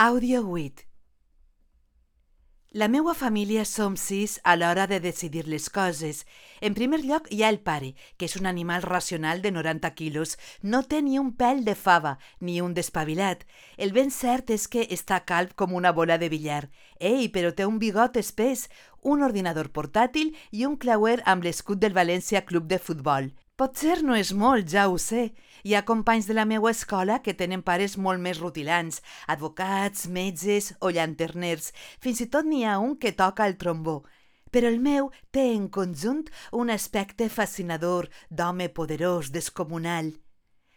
Audio 8. La meua família som 6 a l'hora de decidir les coses. En primer lloc hi ha el pare, que és un animal racional de 90 quilos. No té ni un pèl de fava, ni un d'espavilat. El ben cert és que està calb com una bola de billar. Ei, però té un bigot espès, un ordinador portàtil i un clauer amb l'escut del València Club de Futbol. Potser no és molt, ja ho sé. Hi ha companys de la meva escola que tenen pares molt més rutilants, advocats, metges o llanterners. Fins i tot n'hi ha un que toca el trombó. Però el meu té en conjunt un aspecte fascinador, d'home poderós, descomunal.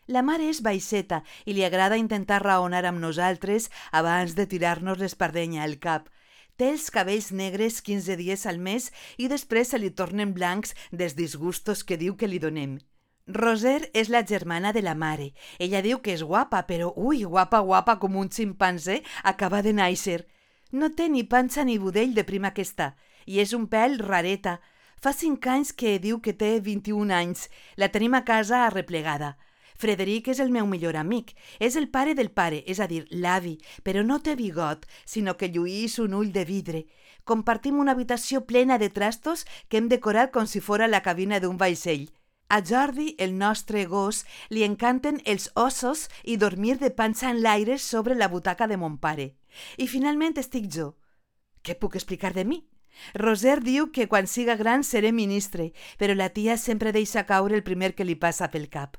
La mare és baixeta i li agrada intentar raonar amb nosaltres abans de tirar-nos l'espardenya al cap. Té els cabells negres 15 dies al mes i després se li tornen blancs dels disgustos que diu que li donem. Roser és la germana de la mare. Ella diu que és guapa, però guapa com un ximpanzé acaba de néixer. No té ni panxa ni budell de prima que està, i és un pèl rareta. Fa 5 anys que diu que té 21 anys. La tenim a casa arreplegada. Frederic és el meu millor amic. És el pare del pare, és a dir, l'avi, però no té bigot, sinó que lluís un ull de vidre. Compartim una habitació plena de trastos que hem decorat com si fora la cabina d'un vaixell. A Jordi, el nostre gos, li encanten els ossos i dormir de panxa en l'aire sobre la butaca de mon pare. I finalment estic jo. Què puc explicar de mi? Roser diu que quan siga gran seré ministre, però la tia sempre deixa caure el primer que li passa pel cap.